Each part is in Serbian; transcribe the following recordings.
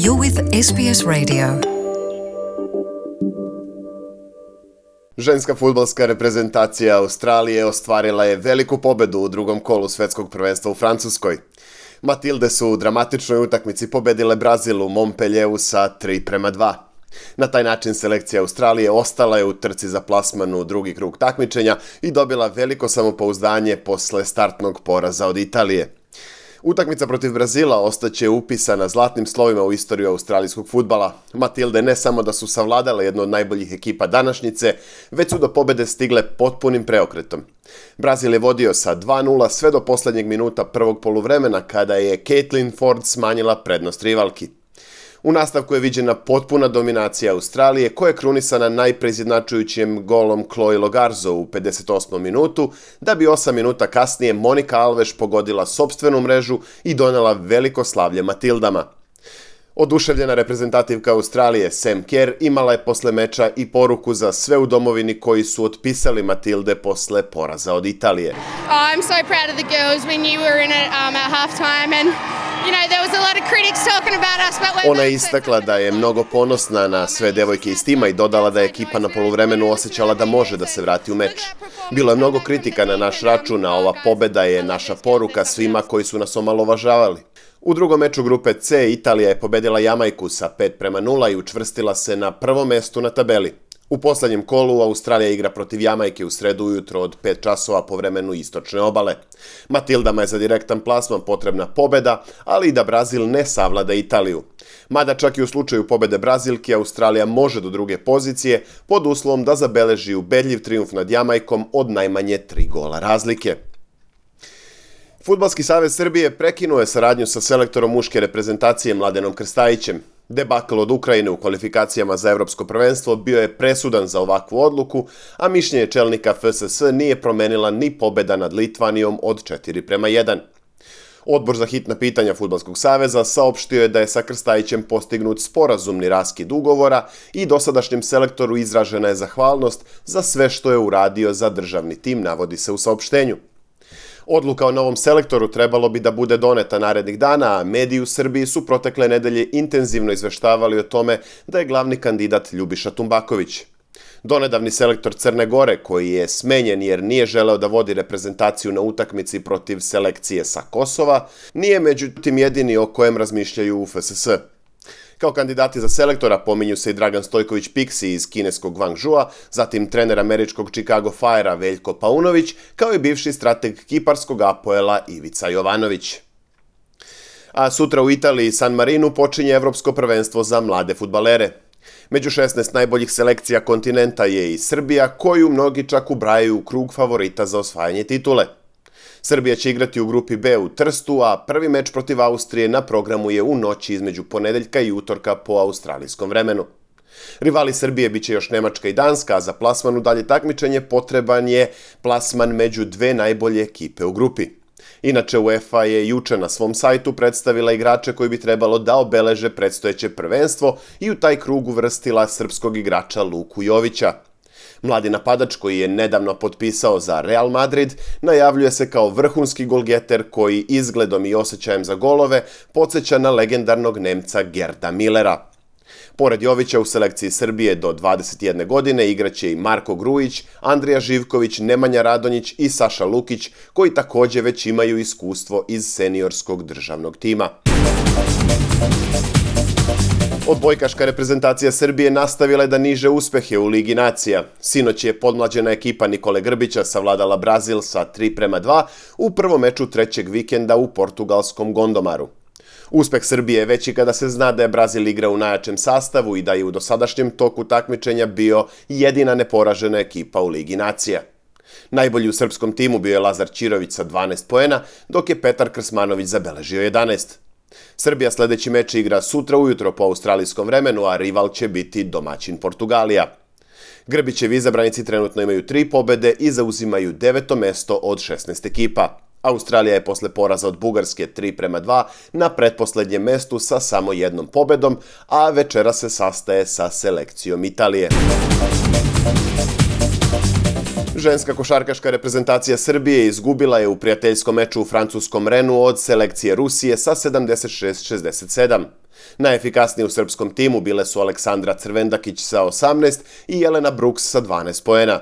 You're with SBS Radio. Ženska fudbalska reprezentacija Australije ostvarila je veliku pobedu u drugom kolu svetskog prvenstva u Francuskoj. Matilde su u dramatičnoj utakmici pobedile Brazil u Montpellieru sa 3:2. Na taj način selekcija Australije ostala je u trci za plasman u drugi krug takmičenja i dobila veliko samopouzdanje posle startnog poraza od Italije. Utakmica protiv Brazila ostaće upisana zlatnim slovima u istoriju australijskog fudbala. Matilde ne samo da su savladale jednu od najboljih ekipa današnjice, već su do pobede stigle potpunim preokretom. Brazil je vodio sa 2:0 sve do poslednjeg minuta prvog poluvremena kada je Caitlin Foord smanjila prednost rivalki. U nastavku je viđena potpuna dominacija Australije, koja je krunisana najpreizjednačujućim golom Chloe Logarzo u 58. minutu, da bi 8 minuta kasnije Monica Alves pogodila sopstvenu mrežu i donela veliko slavlje Matildama. Oduševljena reprezentativka Australije Sam Kerr imala je posle meča i poruku za sve u domovini koji su otpisali Matilde posle poraza od Italije. I'm so proud of the girls. We knew we were in it at halftime and there was a lot of critics talking about us, but Ona je istakla da je mnogo ponosna na sve devojke iz tima i dodala da je ekipa na poluvremenu osjećala da može da se vrati u meč. Bilo je mnogo kritika na naš račun, a ova pobeda je naša poruka svima koji su nas omalovažavali. U drugom meču grupe C Italija je pobedila Jamajku sa 5:0 i učvrstila se na prvom mestu na tabeli. U poslednjem kolu Australija igra protiv Jamajke u sredu ujutro od 5 časova po vremenu istočne obale. Matildama je za direktan plasman potrebna pobeda, ali i da Brazil ne savlada Italiju. Mada čak i u slučaju pobede Brazilke, Australija može do druge pozicije pod uslovom da zabeleži ubedljiv trijumf nad Jamajkom od najmanje 3 gola razlike. Fudbalski savez Srbije prekinuo je saradnju sa selektorom muške reprezentacije Mladenom Krstajićem. Debakl od Ukrajine u kvalifikacijama za evropsko prvenstvo bio je presudan za ovakvu odluku, a mišljenje čelnika FSS nije promenila ni pobeda nad Litvanijom od 4:1. Odbor za hitna pitanja Fudbalskog saveza saopštio je da je sa Krstajićem postignut sporazumni raskid ugovora i dosadašnjem selektoru izražena je zahvalnost za sve što je uradio za državni tim, navodi se u saopštenju. Odluka o novom selektoru trebalo bi da bude doneta narednih dana, a mediji u Srbiji su protekle nedelje intenzivno izveštavali o tome da je glavni kandidat Ljubiša Tumbaković. Donedavni selektor Crne Gore, koji je smenjen jer nije želeo da vodi reprezentaciju na utakmici protiv selekcije sa Kosova, nije međutim jedini o kojem razmišljaju u FSS. Kao kandidati za selektora pominju se i Dragan Stojković Pixi iz kineskog Guangzhoua, zatim trener američkog Chicago Fire-a Veljko Paunović, kao i bivši strateg kiparskog Apoela Ivica Jovanović. A sutra u Italiji San Marinu počinje evropsko prvenstvo za mlade fudbalere. Među 16 najboljih selekcija kontinenta je i Srbija, koju mnogi čak ubrajaju u krug favorita za osvajanje titule. Srbija će igrati u grupi B u Trstu, a prvi meč protiv Austrije na programu je u noći između ponedeljka i utorka po australijskom vremenu. Rivali Srbije biće još Nemačka i Danska, a za plasman u dalje takmičenje potreban je plasman među dve najbolje ekipe u grupi. Inače, UEFA je juče na svom sajtu predstavila igrače koji bi trebalo da obeleže predstojeće prvenstvo i u taj krug uvrstila srpskog igrača Luku Jovića. Mladi napadač koji je nedavno potpisao za Real Madrid najavljuje se kao vrhunski golgeter koji izgledom i osjećajem za golove podsjeća na legendarnog Nemca Gerda Millera. Pored Jovića u selekciji Srbije do 21 godine igraće i Marko Grujić, Andrija Živković, Nemanja Radonjić i Saša Lukić, koji takođe već imaju iskustvo iz seniorskog državnog tima. Odbojkaška reprezentacija Srbije nastavila je da niže uspehe u Ligi nacija. Sinoć je podmlađena ekipa Nikole Grbića savladala Brazil sa 3:2 u prvom meču trećeg vikenda u portugalskom Gondomaru. Uspeh Srbije je veći kada se zna da je Brazil igra u najjačem sastavu i da je u dosadašnjem toku takmičenja bio jedina neporažena ekipa u Ligi nacija. Najbolji u srpskom timu bio je Lazar Ćirović sa 12 poena, dok je Petar Krsmanović zabeležio 11. Srbija sledeći meč igra sutra ujutro po australijskom vremenu, a rival će biti domaćin Portugalija. Grbićevi izabranici trenutno imaju 3 pobede i zauzimaju 9. mesto od 16 ekipa. Australija je posle poraza od Bugarske 3:2 na pretposlednjem mestu sa samo 1 pobedom, a večera se sastaje sa selekcijom Italije. Ženska košarkaška reprezentacija Srbije izgubila je u prijateljskom meču u francuskom Renu od selekcije Rusije sa 76-67. Najefikasnije u srpskom timu bile su Aleksandra Crvendakić sa 18 i Jelena Brooks sa 12 poena.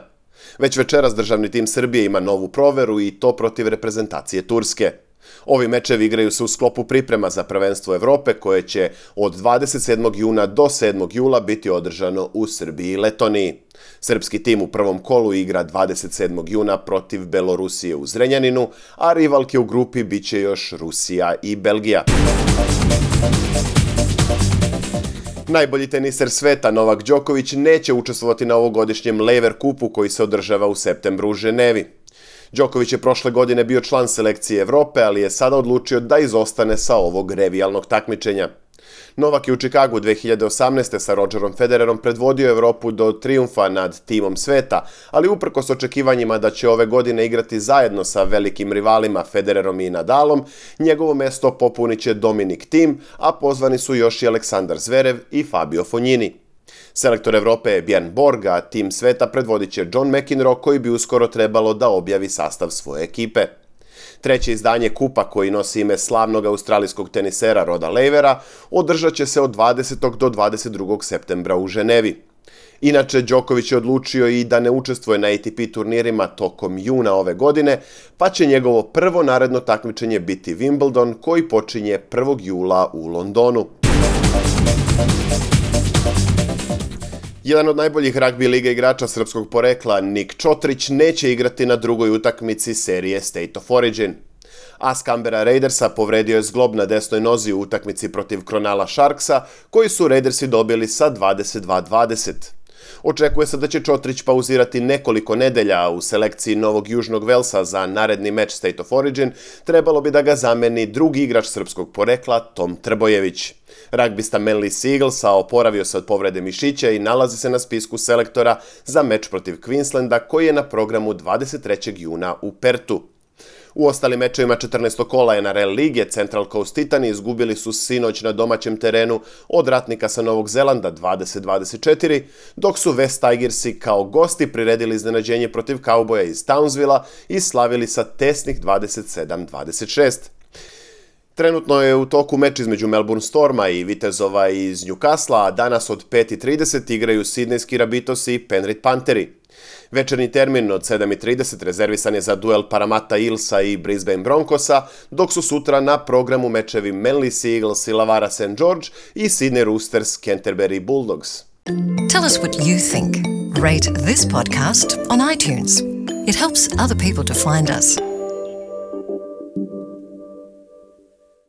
Već večeras državni tim Srbije ima novu proveru i to protiv reprezentacije Turske. Ovi mečevi igraju se u sklopu priprema za prvenstvo Evrope koje će od 27. juna do 7. jula biti održano u Srbiji i Letoniji. Srpski tim u prvom kolu igra 27. juna protiv Belorusije u Zrenjaninu, a rivalke u grupi biće još Rusija i Belgija. Najbolji teniser sveta Novak Đoković neće učestvovati na ovogodišnjem Lever Kupu koji se održava u septembru u Ženevi. Đoković je prošle godine bio član selekcije Evrope, ali je sada odlučio da izostane sa ovog revijalnog takmičenja. Novak je u Čikagu 2018. sa Rodgerom Federerom predvodio Evropu do trijumfa nad timom sveta, ali uprkos očekivanjima da će ove godine igrati zajedno sa velikim rivalima Federerom i Nadalom, njegovo mesto popunit će Dominic Thiem, a pozvani su još i Aleksandar Zverev i Fabio Fognini. Selektor Evrope je Bjorn Borg, a tim sveta predvodit će John McEnroe koji bi uskoro trebalo da objavi sastav svoje ekipe. Treće izdanje kupa koji nosi ime slavnog australijskog tenisera Roda Lavera održat će se od 20. do 22. septembra u Ženevi. Inače, Đoković je odlučio i da ne učestvuje na ATP turnirima tokom juna ove godine, pa će njegovo prvo naredno takmičenje biti Wimbledon koji počinje 1. jula u Londonu. Jedan od najboljih ragbi lige igrača srpskog porekla, Nik Čotrić, neće igrati na drugoj utakmici serije State of Origin. As Canberra Raidersa povredio je zglob na desnoj nozi u utakmici protiv Cronulla Sharksa, koji su Raidersi dobili sa 22-20. Očekuje se da će Čotrić pauzirati nekoliko nedelja, a u selekciji Novog Južnog Velsa za naredni meč State of Origin trebalo bi da ga zameni drugi igrač srpskog porekla, Tom Trbojević. Ragbista Manly Sea Eaglesa oporavio se od povrede mišića i nalazi se na spisku selektora za meč protiv Queenslanda koji je na programu 23. juna u Pertu. U ostalim mečevima 14. kola NRL lige Central Coast Titani izgubili su sinoć na domaćem terenu od Ratnika sa Novog Zelanda 20-24, dok su West Tigersi kao gosti priredili iznenađenje protiv Cowboya iz Townsvilla i slavili sa tesnih 27-26. Trenutno je u toku meč između Melbourne Storma i Vitezova iz Newcastle, a danas od 5:30 igraju Sidnejski Rabitosi i Penrith Pantheri. Večernji termin od 7:30 rezervisan je za duel Parramatta Eelsa i Brisbane Broncosa, dok su sutra na programu mečevi Manly Sea Eagles i Lavara St. George i Sydney Roosters Canterbury Bulldogs. Tell us what you think. Rate this podcast on iTunes. It helps other people to find us.